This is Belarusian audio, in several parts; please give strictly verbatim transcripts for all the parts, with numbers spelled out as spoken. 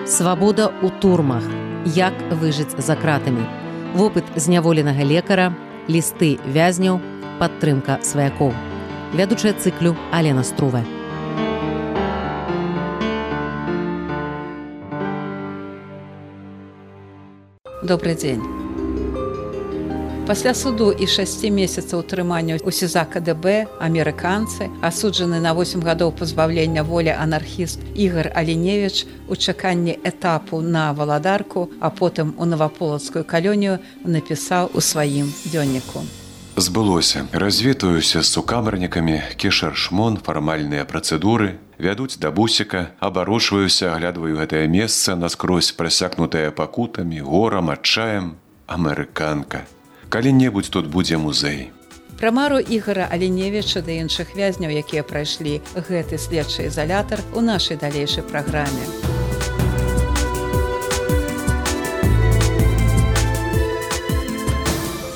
Свабода ў турмах. Як выжыць за кратамі. Вопыт зняволенага лекара, лісты вязняў, падтрымка сваякоў. Вядучая цыклю Алена Струве. Добрый дзень. Пасля суду і шасці месяцаў утрымання ў СІЗА КДБ амерыканцы, асуджаны на восем гадоў пазбаўлення волі анархіст Ігар Аліневіч у чаканні этапу на Валадарку, а потым у Наваполацкую калонію напісаў у сваім дзённіку. Збылося. Развітаюся з сукамернікамі, кішар шмон, фармальныя працэдуры, вядуць да бусіка, абарочваюся, аглядваю гэтае месца, наскрозь прасякнутае пакутамі, горам, адчаем. Амерыканка. Калі-небудзь тут будзе музей. Пра мару Ігара Аліневіча ды іншых вязняў, якія прайшлі гэты следчы ізалятар, у нашай далейшай праграме.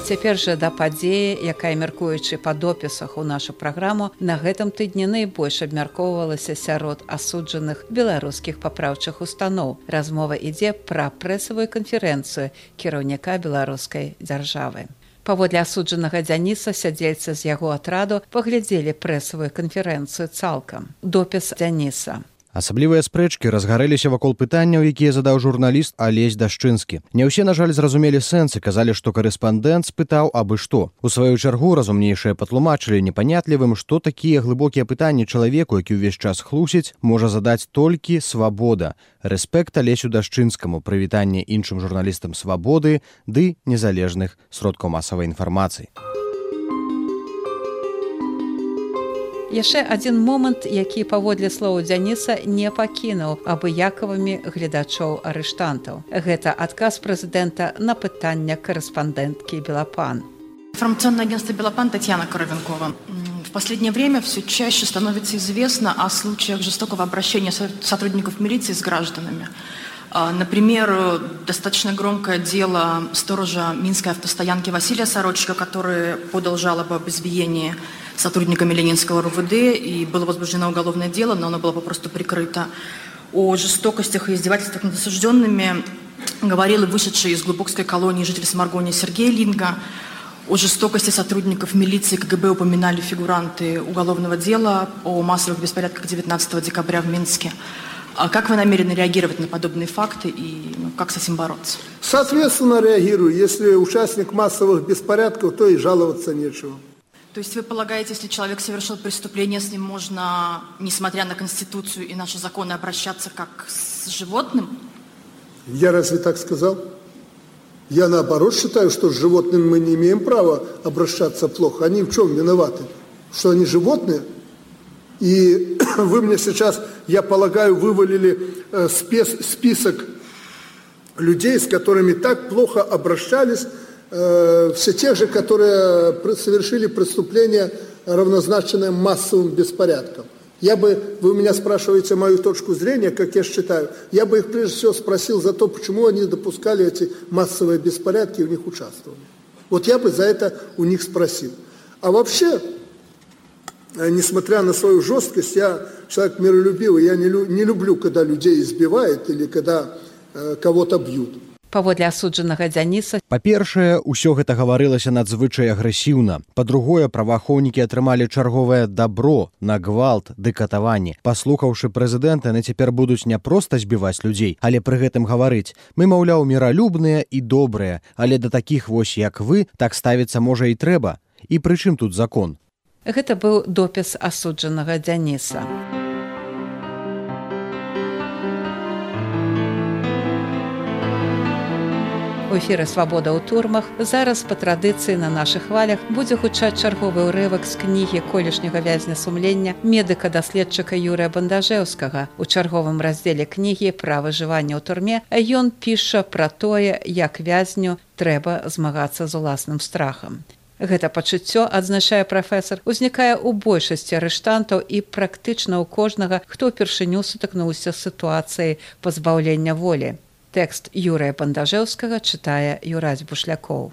Цяпер жа да падзеі, якая, мяркуючы па допісах у нашу праграму, на гэтым тыдні найбольш абмяркоўвалася сярод асуджаных беларускіх папраўчых устаноў. Размова ідзе пра прэсавую канферэнцыю кіраўніка беларускай дзяржавы. Паводле асуджанага Дзяніса, сядзельцы з яго атраду паглядзелі прэсавую канферэнцыю цалкам. Допіс Дзяніса. Асаблівыя спрэчкі разгарэліся вакол пытанняў, якія задаў журналіст Алесь Дашчынскі. Не ўсе, на жаль, зразумелі сэнс і казалі, што карэспандэнт спытаў абы што. У сваю чаргу разумнейшыя патлумачылі непанятлівым, што такія глыбокія пытанні чалавеку, які ўвесь час хлусіць, можа задаць толькі свабода. Рэспект Алесю Дашчынскаму, прывітанне іншым журналістам свабоды ды незалежных сродкаў масавай інфармацыі. Яшчэ адзін момант, які, паводле слоў Дзяніса, не пакінуў абыякавымі гледачоў арыштантаў. Гэта адказ прэзідэнта на пытанне карэспандэнткі Белопан. Информационное агентство «Белопан», Татьяна Коровенкова. В последнее время все чаще становится известно о случаях жестокого обращения сотрудников милиции с гражданами. Например, достаточно громкое дело сторожа Минской автостоянки Василия Сорочка, который подал жалобу об избиении сотрудниками Ленинского РУВД, и было возбуждено уголовное дело, но оно было попросту прикрыто. О жестокостях и издевательствах над осужденными говорил и вышедший из глубокской колонии житель Сморгония Сергей Линга. О жестокости сотрудников милиции КГБ упоминали фигуранты уголовного дела о массовых беспорядках девятнадцатого декабря в Минске. А как вы намерены реагировать на подобные факты и ну, как с этим бороться? Соответственно, реагирую. Если участник массовых беспорядков, то и жаловаться нечего. То есть вы полагаете, если человек совершил преступление, с ним можно, несмотря на Конституцию и наши законы, обращаться как с животным? Я разве так сказал? Я наоборот считаю, что с животным мы не имеем права обращаться плохо. Они в чем виноваты? Что они животные? И вы мне сейчас, я полагаю, вывалили э, спес, список людей, с которыми так плохо обращались, э, все те же, которые совершили преступление, равнозначное массовым беспорядкам. Я бы, вы у меня спрашиваете мою точку зрения, как я считаю, я бы их прежде всего спросил за то, почему они допускали эти массовые беспорядки и в них участвовали. Вот я бы за это у них спросил. А вообще, несмотря на свою жесткость, я человек миролюбивый, я не, лю, не люблю, когда людей избивают или когда э, кого-то бьют. Паводле асуджанага Дзяніса. Па-першае, усё гэта гаварылася надзвычай агрэсіўна. Па-другое, праваахоўнікі атрымалі чарговае дабро на гвалт ды катаванні. Паслухаўшы прэзідэнта, яны цяпер будуць не проста збіваць людзей, але пры гэтым гаварыць: мы, маўляў, міралюбныя і добрыя, але да такіх вось, як вы, так ставіцца можа і трэба. І пры чым тут закон? Гэта быў допіс асуджанага Дзяніса. У эфіры «Свабода ў турмах» зараз па традыцыі на нашых хвалях будзе гучаць чарговы ўрывак з кнігі колішняга вязня сумлення медыка-даследчыка Юрыя Бандажэўскага. У чарговым раздзеле кнігі пра выжыванне ў турме ён піша пра тое, як вязню трэба змагацца з уласным страхам. Гэта пачуццё, адзначае прафесар, узнікае ў большасці арыштантаў і практычна ў кожнага, хто ўпершыню сутыкнуўся з сітуацыяй пазбаўлення волі. Тэкст Юрыя Бандажэўскага чытае Юрась Бушлякоў.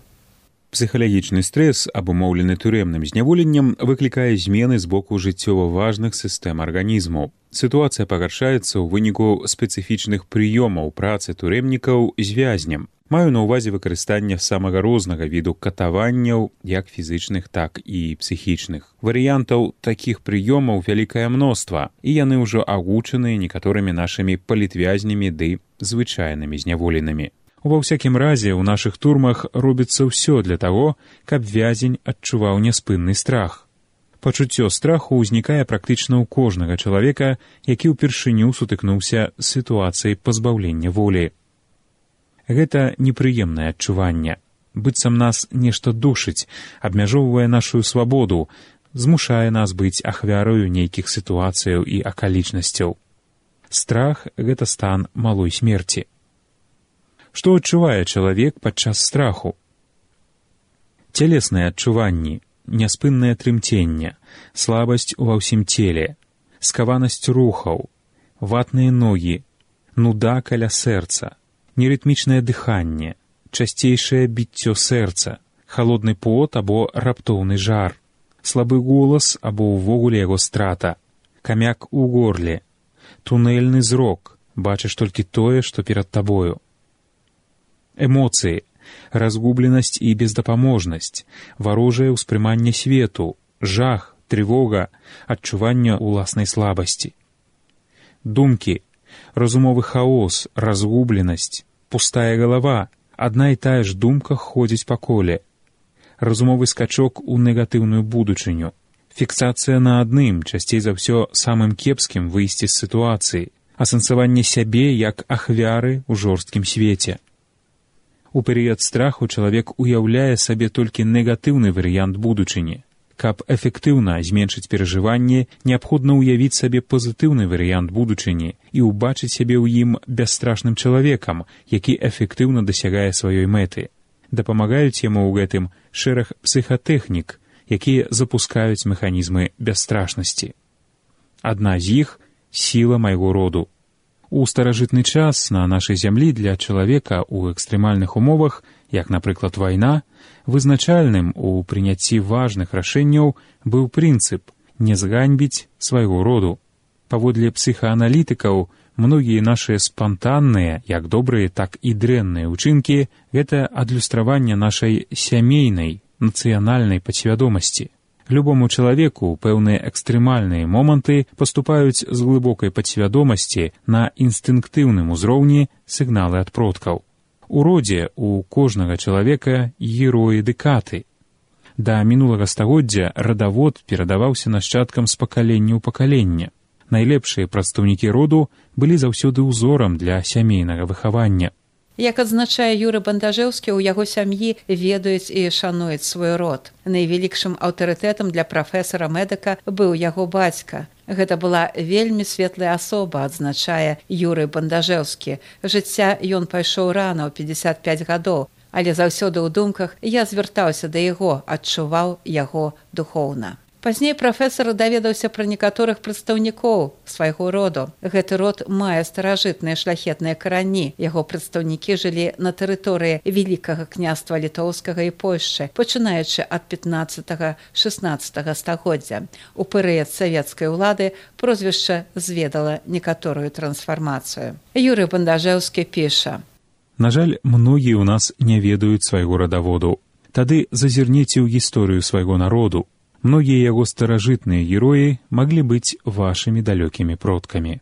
Псіхалагічны стрэс, абумоўлены турэмным зняволеннем, выклікае змены з боку жыццёва важных сістэм арганізму. Сітуацыя пагаршаецца ў выніку спецыфічных прыёмаў працы турэмнікаў з вязнем. Маю на ўвазе выкарыстанне самага рознага віду катаванняў, як фізычных, так і псіхічных. Варыянтаў такіх прыёмаў вялікае мноства, і яны ўжо агучаныя некаторымі нашымі палітвязнямі ды звычайнымі зняволенымі. Ва ўсякім разе, у нашых турмах робіцца ўсё для таго, каб вязень адчуваў няспынны страх. Пачуццё страху ўзнікае практычна ў кожнага чалавека, які ўпершыню сутыкнуўся з сітуацыяй пазбаўлення волі. Гэта непрыемнае адчуванне. Быццам нас нешта душыць, абмяжоўвае нашу свабоду, змушае нас быць ахвярою нейкіх сітуацыяў і акалічнасцяў. Страх — гэта стан малой смерці. Што адчувае чалавек падчас страху? Цялесныя адчуванні, няспыннае трымценне, слабасць ува ўсім целе, скаванасць рухаў, ватныя ногі, нуда каля сэрца, нерытмічнае дыханне, часцейшае біццё сэрца, халодны пот або раптоўны жар, слабы голас або ўвогуле яго страта, камяк у горле, тунэльны зрок, бачыш толькі тое, што перад табою. Эмоцыі, разгубленасць і бездапаможнасць, варожае ўспрыманне свету, жах, трывога, адчуванне ўласнай слабасці. Думкі, разумовы хаос, разгубленасць, пустая галава, адна і тая ж думка ходзіць па коле. Разумовы скачок у негатыўную будучыню, фіксацыя на адным, часцей за ўсё самым кепскім выйсці з сітуацыі, асэнсаванне сябе як ахвяры ў жорсткім свеце. У перыяд страху чалавек уяўляе сабе толькі негатыўны варыянт будучыні. Каб эфектыўна зменшыць перажыванне, неабходна ўявіць сабе пазітыўны варыянт будучыні і ўбачыць сябе ў ім бясстрашным чалавекам, які эфектыўна дасягае сваёй мэты. Дапамагаюць яму ў гэтым шэраг псіхатэхнік, якія запускаюць механізмы бясстрашнасці. Адна з іх — сіла майго роду. У старажытны час на нашай зямлі для чалавека ў экстрэмальных умовах, як, напрыклад, вайна, вызначальным у прыняцці важных рашэнняў быў прынцып не зганьбіць свайго роду. Паводле псіхааналітыкаў, многія нашыя спантанныя, як добрыя, так і дрэнныя ўчынкі — гэта адлюстраванне нашай сямейнай, нацыянальнай падсвядомасці. Любому чалавеку пэўныя экстрэмальныя моманты паступаюць з глыбокай падсвядомасці на інстынктыўным узроўні сігналы ад продкаў. У родзе у кожнага чалавека героі ды каты. Да мінулага стагоддзя радавод перадаваўся нашчадкам з пакалення ў пакаленне. Найлепшыя прадстаўнікі роду былі заўсёды ўзорам для сямейнага выхавання. Як адзначае Юры Бандажэўскі, у яго сям'і ведаюць і шануюць свой род. Найвялікшым аўтарытэтам для прафесара-медыка быў яго бацька. Гэта была вельмі светлая асоба, адзначае Юры Бандажэўскі. Жыцця ён пайшоў рана, ў пятьдесят пять гадоў, але заўсёды ў думках я звяртаўся да яго, адчуваў яго духоўна. Пазней прафесар даведаўся пра некаторых прадстаўнікоў свайго роду. Гэты род мае старажытныя шляхетныя карані. Яго прадстаўнікі жылі на тэрыторыі Вялікага княства Літоўскага і Польшчы, пачынаючы ад пятнаццатага-шаснаццатага стагоддзя. У перыяд савецкай улады прозвішча зведала некаторую трансфармацыю. Юры Бандажэўскі піша: На жаль, многія ў нас не ведаюць свайго радаводу. Тады зазірніце ў гісторыю свайго народу. Многія яго старажытныя героі маглі быць вашымі далёкімі продкамі.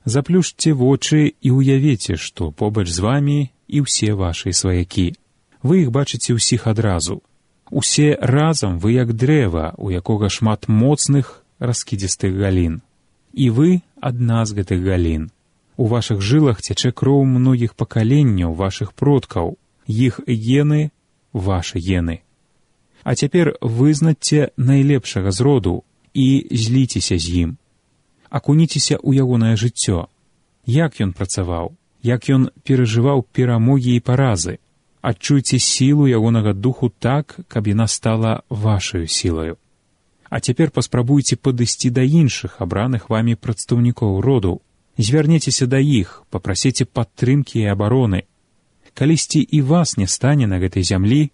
Заплюшце вочы і ўявіце, што побач з вамі і ўсе вашыя сваякі. Вы іх бачыце ўсіх адразу. Усе разам вы як дрэва, у якога шмат моцных раскідзістых галін. І вы адна з гэтых галін. У вашых жылах цячэ кроў многіх пакаленняў вашых продкаў. Іх гены — вашы гены. А цяпер вызнаце найлепшага з роду і зліцеся з ім. Акуніцеся ў ягонае жыццё. Як ён працаваў, як ён перажываў перамогі і паразы. Адчуйце сілу ягонага духу так, каб яна стала вашаю сілаю. А цяпер паспрабуйце падысці да іншых абраных вамі прадстаўнікоў роду. Звярнецеся да іх, папрасіце падтрымкі і абароны. Калісьці і вас не стане на гэтай зямлі,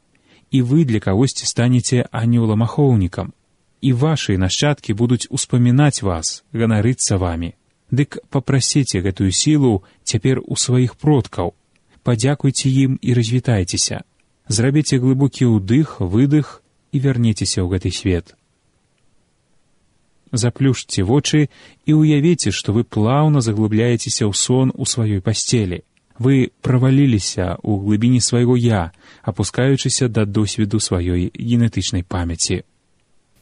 і вы для кагосьці станеце анёлам-ахоўнікам. І вашыя нашчадкі будуць успамінаць вас, ганарыцца вамі. Дык папрасіце гэтую сілу цяпер у сваіх продкаў. Падзякуйце ім і развітайцеся. Зрабіце глыбокі ўдых, выдых і вярніцеся ў гэты свет. Заплюшце вочы і ўявіце, што вы плаўна заглыбляецеся ў сон у сваёй пасцелі. Вы праваліліся ў глыбіні свайго «я», апускаючыся да досведу сваёй генетычнай памяці.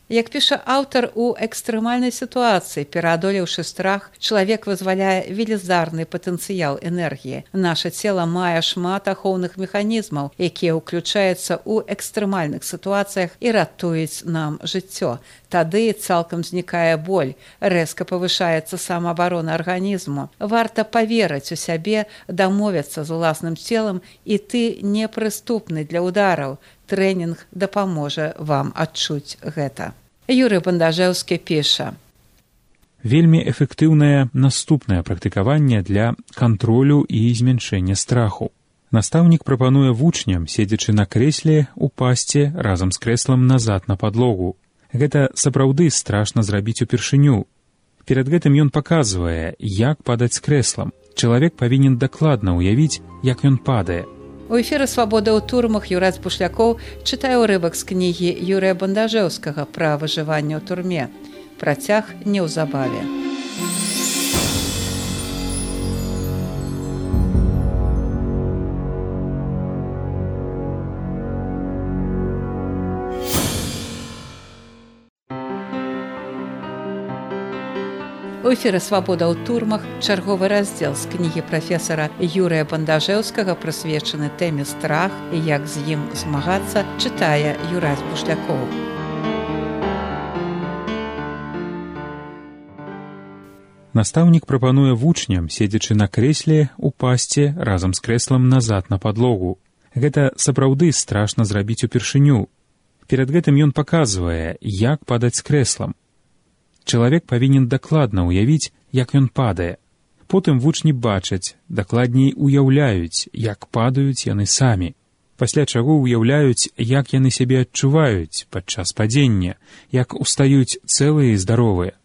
Як піша аўтар, у экстрэмальнай сітуацыі, пераадолеўшы страх, чалавек вызваляе велізарны патэнцыял энергіі. Наша цела мае шмат ахоўных механізмаў, якія ўключаюцца ў экстрэмальных сітуацыях і ратуюць нам жыццё. Тады цалкам знікае боль, рэзка павышаецца самаабарона арганізму. Варта паверыць у сябе, дамовіцца з уласным целам, і ты непрыступны для удараў. Трэнінг дапаможа вам адчуць гэта. Юрый Бандажэўскі піша. Вельмі эфектыўнае наступнае практыкаванне для кантролю і змяншэння страху. Настаўнік прапануе вучням, седзячы на крэсле, упасці разам з крэслам назад на падлогу. Гэта сапраўды страшна зрабіць упершыню. Перад гэтым ён паказвае, як падаць з крэслам. Чалавек павінен дакладна ўявіць, як ён падае. У эфіры «Свабода ў турмах» Юрась Бушлякоў чытае ўрывак з кнігі Юрыя Бандажэўскага пра выжыванне ў турме. Працяг неўзабаве. У эфіры «Свабода ў турмах» чарговы раздзел з кнігі прафесара Юрыя Бандажэўскага, прысвечаны тэме страх і як з ім змагацца, чытае Юрась Бушлякоў. Настаўнік прапануе вучням, седзячы на крэсле, упасці разам з крэслам назад на падлогу. Гэта сапраўды страшна зрабіць упершыню. Перад гэтым ён паказвае, як падаць з крэслам. Чалавек павінен дакладна ўявіць, як ён падае. Потым вучні бачаць, дакладней уяўляюць, як падаюць яны самі. Пасля чаго ўяўляюць, як яны сябе адчуваюць падчас падзення, як устаюць цэлыя і здаровыя.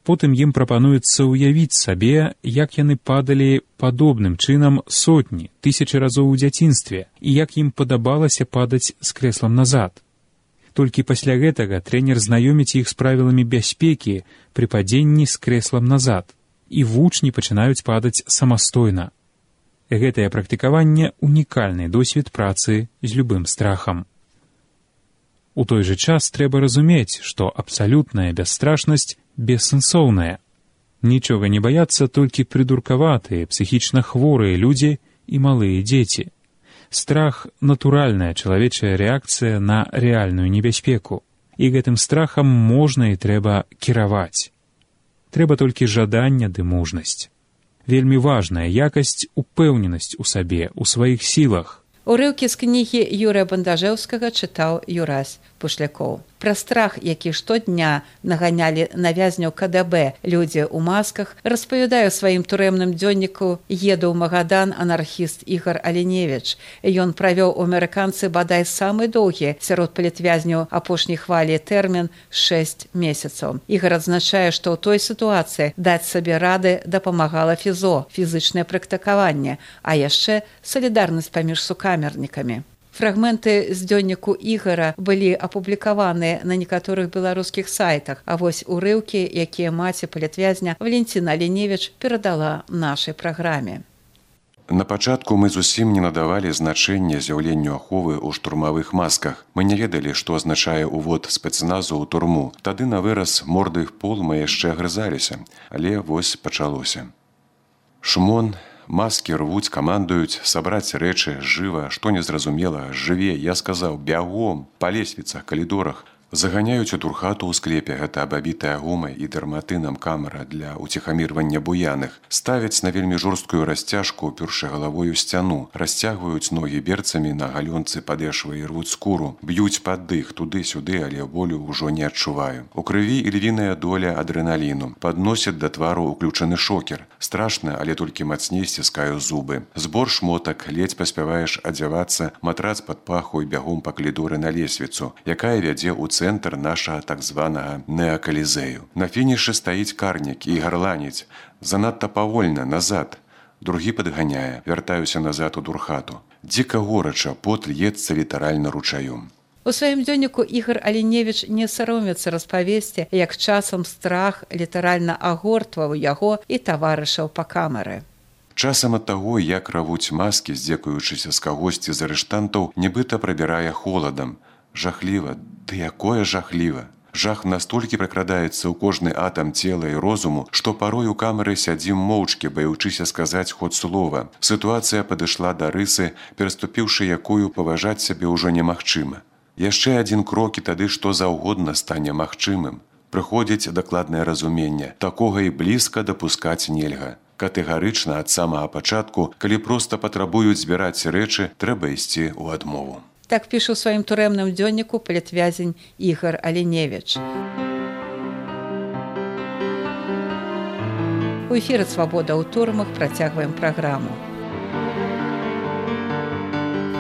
Потым ім прапануецца ўявіць сабе, як яны падалі падобным чынам сотні, тысячы разоў у дзяцінстве, і як ім падабалася падаць з крэслам назад. Толькі пасля гэтага трэнер знаёміць іх з правіламі бяспекі пры падзенні з крэслам назад, і вучні пачынаюць падаць самастойна. Гэтае практыкаванне – унікальны досвед працы з любым страхам. У той жа час трэба разумець, што абсалютная бясстрашнасць бессэнсоўная. Нічога не баяцца толькі прыдуркаватыя, псіхічна хворыя людзі і малыя дзеці. Страх – натуральная чалавечая рэакцыя на рэальную небяспеку. І гэтым страхам можна і трэба кіраваць. Трэба толькі жаданне ды мужнасць. Вельмі важная якасць – упэўненасць у сабе, у сваіх сілах. Урыўкі з кнігі Юрыя Бандажэўскага чытаў Юрась Бушлякоў. Пра страх, які штодня наганялі на вязняў ка дэ бэ людзі ў масках, распавядае ў сваім турэмным дзённіку «Еду ў Магадан» анархіст Ігар Аленевіч. Ён правёў у амерыканцы бадай самы доўгі сярод палітвязняў апошняй хвалі тэрмін шэсць месяцаў. Ігар адзначае, што ў той сітуацыі даць сабе рады дапамагала фізо, фізычнае практыкаванне, а яшчэ салідарнасць паміж сукамернікамі. Фрагменты з дзённіку Ігара былі апублікаваныя на некаторых беларускіх сайтах, а вось урыўкі, якія маці палітвязня Валентина Аленевіч перадала нашай праграме. На пачатку мы зусім не надавалі значэння з'яўленню аховы ў штурмавых масках. Мы не ведалі, што азначае ўвод спецназу ў турму. Тады на выраз морды в пол мы яшчэ грызаліся, але вось пачалося. Шмон, маски рвуць, камандуюць, сабраць рэчы, жыва, што незразумела, жыве, я сказаў, бягом, па лесвіцах, калідорах. Заганяюць у турхату ў склепе, гэта абабітая гумай і дэрматынам камера для уціхамірвання буяных. Ставяць на вельмі жорсткую расцяжку, упершы галавой у сцяну, расцягваюць ногі берцамі на галёнцы падэшвы і рвуць скуру, б'юць пад дых туды-сюды, але болю ўжо не адчуваю. У крыві ільвіная доля адрэналіну. Падносяць да твару ўключаны шокер. Страшна, але толькі мацней сціскаю зубы. Збор шмотак, ледзь паспяваеш адзявацца, матрац пад паху і бягом па калідоры на лесвіцу, якая вядзе ў цэнтр нашага так званага неакалізею. На фінішы стаіць карнік і гарланіць. Занадта павольна, назад. Другі падганяе, вяртаюся назад у турхату. Дзіка горача, пот льецца літаральна ручаём. У сваім дзённіку Ігар Аліневіч не саромецца распавесці, як часам страх літаральна агортваў яго і таварышаў па камеры. Часам ад таго, як равуць маскі, здзекуючыся з кагосьці з арыштантаў, нібыта прабірае холадам. Жахліва, ды якое жахліва. Жах настолькі пракрадаецца ў кожны атам цела і розуму, што парой у камеры сядзім моўчкі, баючыся сказаць хоць слова. Сітуацыя падышла да рысы, пераступіўшы якую паважаць сябе ўжо немагчыма. Яшчэ адзін крок і тады што заўгодна стане магчымым. Прыходзіць дакладнае разуменне. Такога і блізка дапускаць нельга. Катэгарычна ад самага пачатку, калі проста патрабуюць збіраць рэчы, трэба ісці ў адмову. Так піша ў сваім турэмным дзённіку палітвязень Ігар Аліневіч. У эфіры «Свабода ў турмах» працягваем праграму.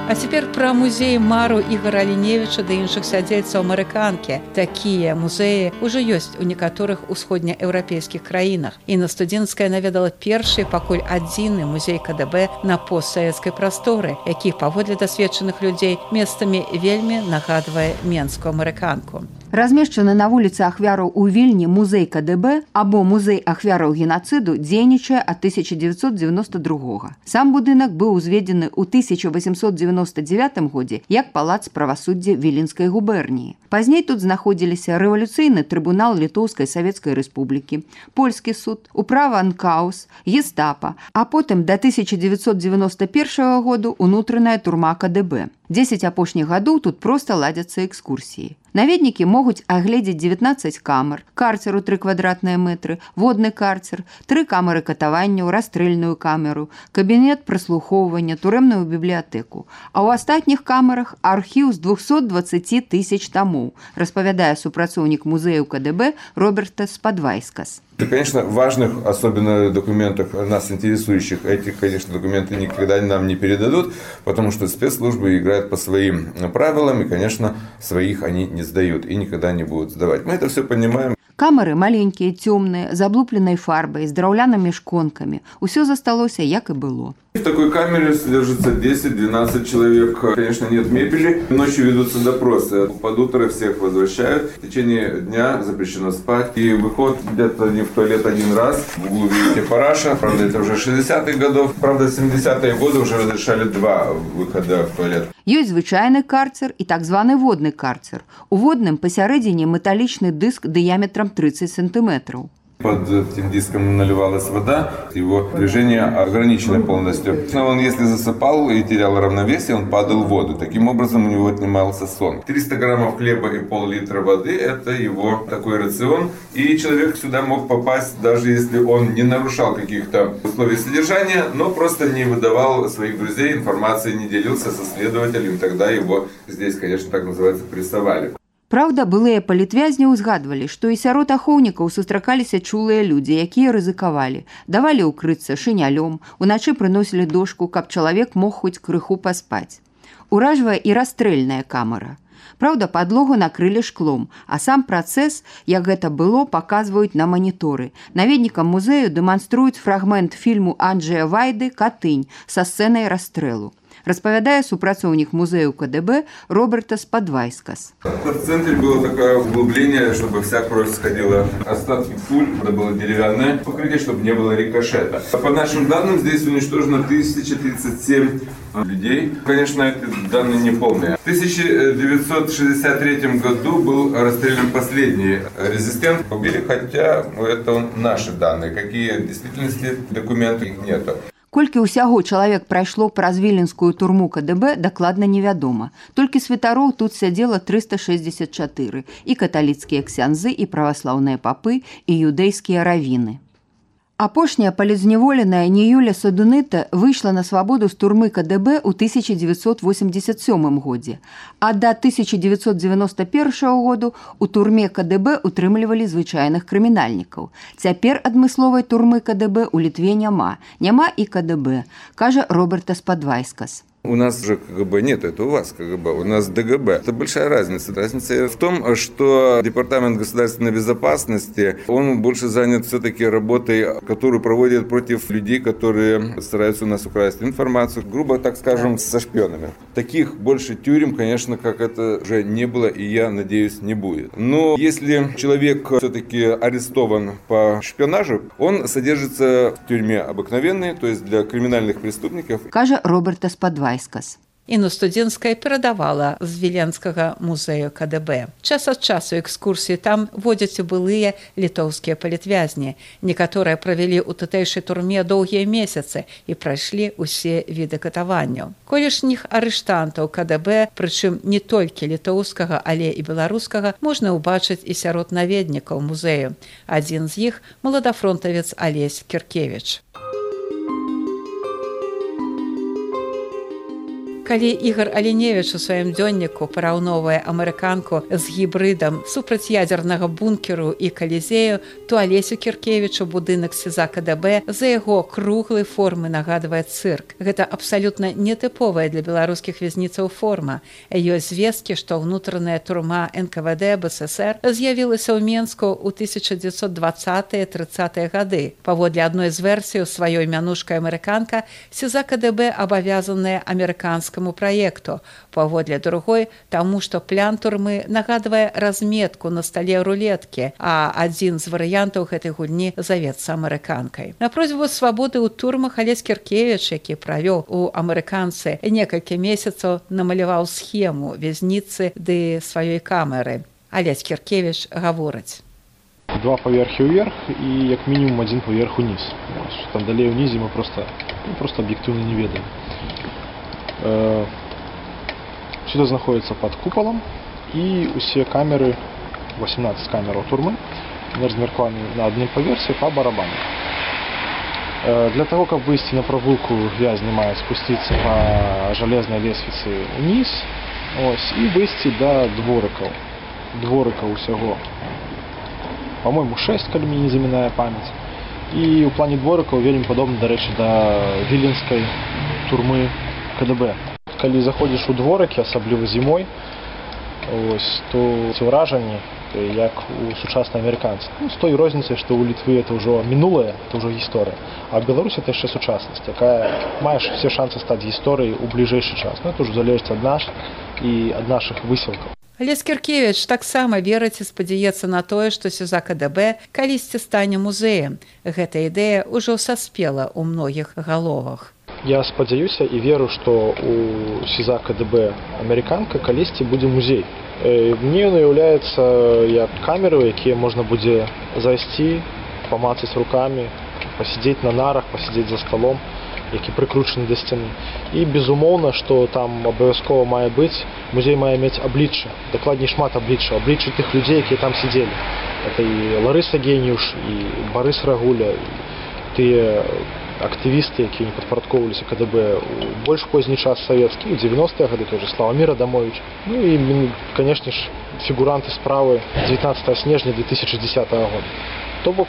А цяпер пра музей мару Ігара Аліневіча ды іншых сядзельцаў амерыканкі. Такія музеі ўжо ёсць у некаторых усходнееўрапейскіх краінах. І на студэнцкая наведала першы, пакуль адзіны музей КДБ на постсавецкай прасторы, які, паводле дасведчаных людзей, месцамі вельмі нагадвае менскую амерыканку. Размешчаны на вуліцы ахвяраў у Вільні музей КДБ або музей ахвяраў генацыду дзейнічае ад тысяча дзевяцьсот дзевяноста другога. Сам будынак быў узведзены ў тысяча васемсот дзевяноста дзевятым годзе як палац правасуддзя Віленскай губерніі. Пазней тут знаходзіліся рэвалюцыйны трыбунал Літоўскай Савецкай Рэспублікі, польскі суд, управа Анкаус, гестапа, а потым да тысяча дзевяцьсот дзевяноста першага году унутраная турма КДБ. дзесяць апошніх гадоў тут проста ладзяцца экскурсіі. Наведнікі могуць агледзець дзевятнаццаць камер, карцер у тры квадратныя мэтры, водны карцер, тры камеры катаванняў, расстрэльную камеру, кабінет праслухоўвання, турэмную бібліятэку. А ў астатніх камерах архіў з двухсот дваццаці тысяч тамоў, распавядае супрацоўнік музею КДБ Робертас Падвайскас. Это, конечно, важных, особенно документах, нас интересующих, эти, конечно, документы никогда нам не передадут, потому что спецслужбы играют по своим правилам, и, конечно, своих они не сдают и никогда не будут сдавать. Мы это все понимаем. Камеры маленькія, цёмныя, з аблупленай фарбай, з драўлянымі шконкамі. Усё засталося, як і было. В такой камере содержится десять-двенадцать человек. Конечно, нет мебели. Ночью ведутся допросы. Под утро всех возвращают. В течение дня запрещено спать. И выход где-то не в туалет один раз. В углу видите параша. Правда, это уже шестидесятых годов. Правда, в семидесятые годы уже разрешали два выхода в туалет. Ёсць звычайны карцер і так званы водны карцер. У водным пасярэдзіне металічны дыск дыяметрам тридцать сантиметров. Под этим диском наливалась вода, его движение ограничено полностью. Но он, если засыпал и терял равновесие, он падал в воду. Таким образом, у него отнимался сон. триста граммов хлеба и пол-литра воды – это его такой рацион. И человек сюда мог попасть, даже если он не нарушал каких-то условий содержания, но просто не выдавал своих друзей, информации не делился со следователем. Тогда его здесь, конечно, так называется, прессовали. Праўда, былыя палітвязні ўзгадвалі, што і сярод ахоўнікаў сустракаліся чулыя людзі, якія рызыкавалі, давалі ўкрыцца шынялём, уначы прыносілі дошку, каб чалавек мог хоць крыху паспаць. Уражвае і расстрэльная камера. Праўда, падлогу накрылі шклом, а сам працэс, як гэта было, паказваюць на маніторы. Наведнікам музею дэманструюць фрагмент фільму Анджэя Вайды «Катынь» са сцэнай расстрэлу. Распавядае супрацоўнік музею КДБ Робертас Падвайскас. В центре было такое углубление, чтобы вся кровь сходила. Остатки пуль, это было деревянное покрытие, чтобы не было рикошета. По нашим данным, здесь уничтожено тысяча тридцать семь людей. Конечно, эти данные не полные. В тысяча девятьсот шестьдесят третьем году был расстрелян последний резистент. Убили, хотя это наши данные. Какие в действительности документы, их нету. Колькі ўсяго чалавек прайшло праз віленскую турму КДБ, дакладна невядома. Толькі святароў тут сядзела трыста шэсцьдзесят чатыры, і каталіцкія ксяндзы, і праваслаўныя папы, і юдэйскія равіны. Апошняя палізняволеная Ніюля Садуныта выйшла на свабоду з турмы КДБ ў тысяча дзевяцьсот восемьдесят сёмым годзе, а да тысяча дзевяцьсот дзевяноста першага году у турме КДБ утрымлівалі звычайных крымінальнікаў. Цяпер адмысловай турмы КДБ у Літве няма, няма і КДБ, кажа Роберта Спадвайскас. У нас же КГБ нет, это у вас КГБ, у нас ДГБ. Это большая разница. Разница в том, что Департамент государственной безопасности, он больше занят все-таки работой, которую проводит против людей, которые стараются у нас украсть информацию, грубо так скажем, со шпионами. Таких больше тюрем, конечно, как это уже не было, и я надеюсь, не будет. Но если человек все-таки арестован по шпионажу, он содержится в тюрьме обыкновенной, то есть для криминальных преступников. Кажа Роберта Спадвайскас. Інна Студзенская перадавала з Віленскага музею КДБ. Час ад часу экскурсіі там водзяць у былыя літоўскія палітвязні. Некаторыя правялі ў тутэйшай турме доўгія месяцы і прайшлі ўсе віды катаванняў. Колішніх арыштантаў КДБ, прычым не толькі літоўскага, але і беларускага, можна ўбачыць і сярод наведнікаў музею. Адзін з іх – маладафронтавец Алесь Кіркевіч. Калі Ігар Аліневіч у сваім дзённіку параўноўвае амерыканку з гібрыдам супрацьядзернага бункеру і калізею, то Алесю Кіркевічу будынак СІЗА КДБ за яго круглай формы нагадвае цырк. Гэта абсалютна нетыповая для беларускіх вязніцаў форма. Ёсць звесткі, што ўнутраная турма эн ка вэ дэ БССР з'явілася ў Менску ў тысяча дзевяцьсот дваццатыя трыццатыя гады. Паводле адной з версій, сваёй мянушкай амерыканка, СІЗА КДБ абавязаная амерыканскаму проекту, паводле другой, таму што план турмы нагадвае разметку на стале рулеткі, а адзін з варыянтаў гэтай гульні завецца амерыканкай. На просьбу свабоды ў турмах Алесь Кіркевіч, які правёў у амерыканцы некалькі месяцаў, намаляваў схему вязніцы ды сваёй камеры. Алесь Кіркевіч гаворыць. Два паверхі ўверх і як мінімум адзін паверх уніз. Там далей унізе мы просто, ну, просто аб'ектыўна не ведаем. Сюда знаходится под куполом, и все камеры, восемнадцать камер турмы, размеркованы на одном поверсе по барабану. Для того, как выйти на прогулку, вязни мають спуститься по железной лестнице вниз, ось, и выйти до двориков. Двориков усього, по-моему, шесть, коли мені не замінає пам'ять. И у плане двориков вельми подобно, до речі, до віленської турми КДБ. Коли заходиш у дворики, особливо зимой, ось, то ці враження, як у сучасних американців. Ну, з тою різницею, що у Литви це вже минуле, це вже історія, а в Білорусі це ще сучасність, яка має всі шанси стати історією у ближайший час. Ну, це вже залежить від нас і від наших висілків. Алесь Кіркевіч таксама верыць і спадзяецца на тое, што СІЗА КДБ калісьці стане музеем. Гэта ідэя ўжо саспела ў многіх галовах. Я спадзяюся і веру, што у СІЗА КДБ амерыканка калісьці будзе музей. Мне ён уяўляецца як камеры, якія можна будзе зайсці, памацаць рукамі, пасядзець на нарах, пасядзець за сталом, які прыкручаны да сцяны. І безумоўна, што там абавязкова мае быць, музей мае мець аблічча, дакладней шмат аблічча, аблічча тых людзей, якія там сидзелі. Это і Ларыса Геніюш, і Барыс Рагуля, і тыя актывісты, якія не падпарадкоўваліся КДБ у больш позні час савецкі, у дзевяностыя гады, той же Славамір Адамович. Ну і, канешне ж, фігуранты справы дзевятнаццатага снежня две тысячи десятого года. То бок,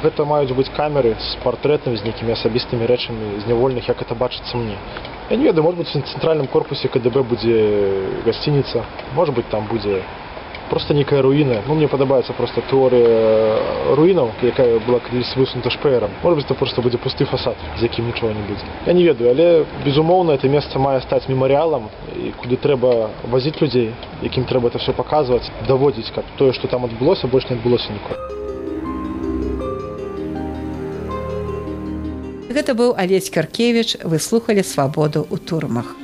гэта маюць быць камеры з партрэтамі, з нейкімі асабістымі рэчамі зняволеных, як это бачыцца мне. Я не ведаю, может быть, в центральным корпусе КДБ будзе гасцініца, может быть, там будзе просто некая руіна. Ну, мне падабаецца просто тэорыя руінаў, якая была калісь высунута шпэерам. Может быть, это просто будзе пусты фасад, з якім нічога не будзе. Я не ведаю, але, безумоўна, это месца мае стаць мемарыялам, куды трэба вазіць людзей, якім трэба это все паказваць, даводзіць, каб тое, што там адбылося, больш не адбылося ніколі. Гэта быў Алесь Кіркевіч, вы слухалі «Свабоду ў турмах».